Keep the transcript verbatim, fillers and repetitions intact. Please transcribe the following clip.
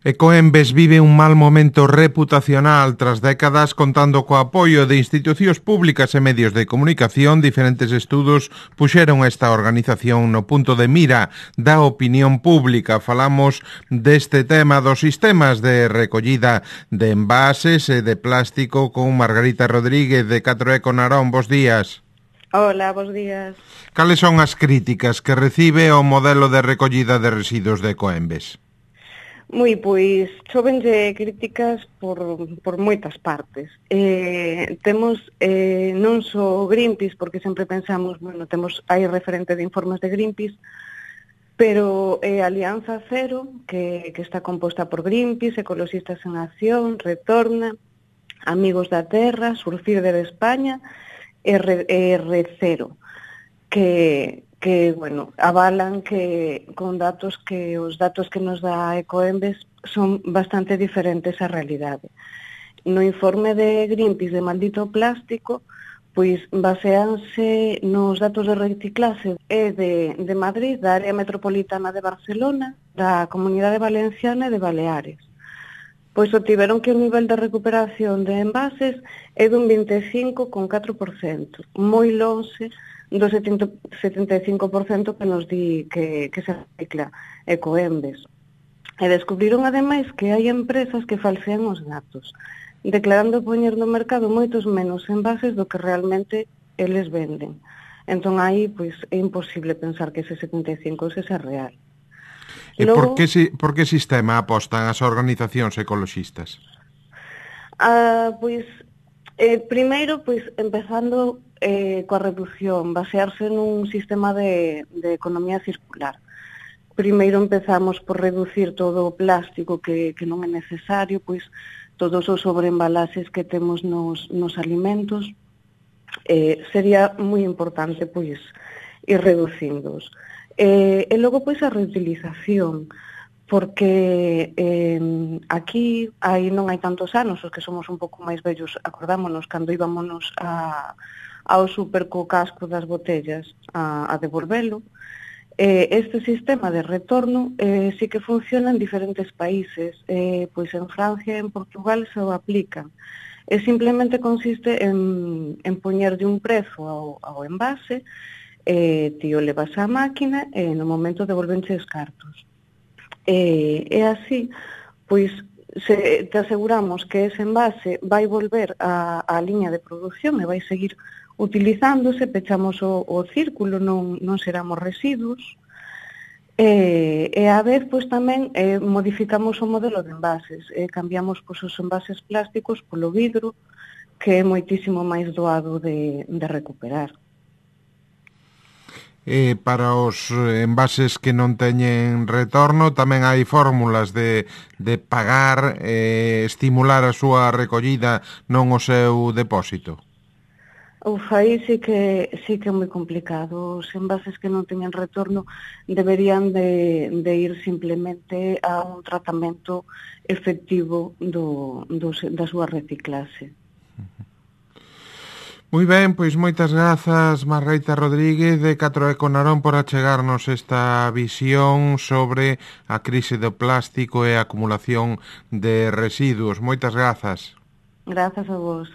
Ecoembes vive un mal momento reputacional tras décadas contando co apoio de institucións públicas e medios de comunicación. Diferentes estudos puxeron esta organización no punto de mira da opinión pública. Falamos deste tema dos sistemas de recollida de envases e de plástico con Margarita Rodríguez de catro eco Narón. Bos días. Hola, bos días. Cales son as críticas que recibe o modelo de recollida de residuos de Ecoembes? Moi, pois, chovenlle críticas por, por moitas partes. Eh, temos eh, non só Greenpeace, porque sempre pensamos, bueno, temos hai referente de informes de Greenpeace, pero eh, Alianza Cero, que, que está composta por Greenpeace, Ecoloxistas en Acción, Retorna, Amigos da Terra, Surfirder de España e R Cero, que... que, bueno, avalan que con datos que os datos que nos dá Ecoembes son bastante diferentes á realidade. No informe de Greenpeace de Maldito Plástico, pois baseanse nos datos de reciclaxe e de, de Madrid, da área metropolitana de Barcelona, da Comunidade Valenciana e de Baleares. Pois obtiveron que o nivel de recuperación de envases é dun vinte e cinco coma catro por cento, moi lonxe do setenta e cinco por cento que nos di que, que se recicla Ecoembes. E descubriron ademais que hai empresas que falsean os datos, declarando poñer no mercado moitos menos envases do que realmente eles venden. Entón aí pois é imposible pensar que ese setenta e cinco ese é real. E Logo, por, que, por que sistema apostan as organizacións ecoloxistas? Ah, pois, eh, primeiro, pois, empezando eh, coa reducción, basearse nun sistema de, de economía circular. Primeiro empezamos por reducir todo o plástico que, que non é necesario, pois todos os sobreembalaxes que temos nos, nos alimentos, eh, sería moi importante pois ir reducíndoos. Eh, e logo pois a reutilización, porque eh, aquí hai, non hai tantos anos, os que somos un pouco máis vellos, acordámonos cando íbamos a, ao super co casco das botellas a, a devolvelo. Eh, este sistema de retorno eh, sí que funciona en diferentes países, eh, pois en Francia e en Portugal se o aplican. E simplemente consiste en, en poñerlle un prezo ao, ao envase, eh, ti o levas á máquina e no momento devolvenche os cartos. E, e así, pois, se te aseguramos que ese envase vai volver á, á liña de produción e vai seguir utilizándose, pechamos o, o círculo, non, non seramos residuos, e, e a vez, pois, tamén eh, modificamos o modelo de envases, e cambiamos pois, os envases plásticos polo vidro, que é moitísimo máis doado de, de recuperar. E para os envases que non teñen retorno tamén hai fórmulas de, de pagar e eh, estimular a súa recollida, non o seu depósito. Uf, aí sí que, sí que é moi complicado. Os envases que non teñen retorno deberían de, de ir simplemente a un tratamento efectivo do, do, da súa reciclase. Moi ben, pois moitas grazas Margarita Rodríguez de catro eco Narón por achegarnos esta visión sobre a crise do plástico e a acumulación de residuos. Moitas grazas. Grazas a vos.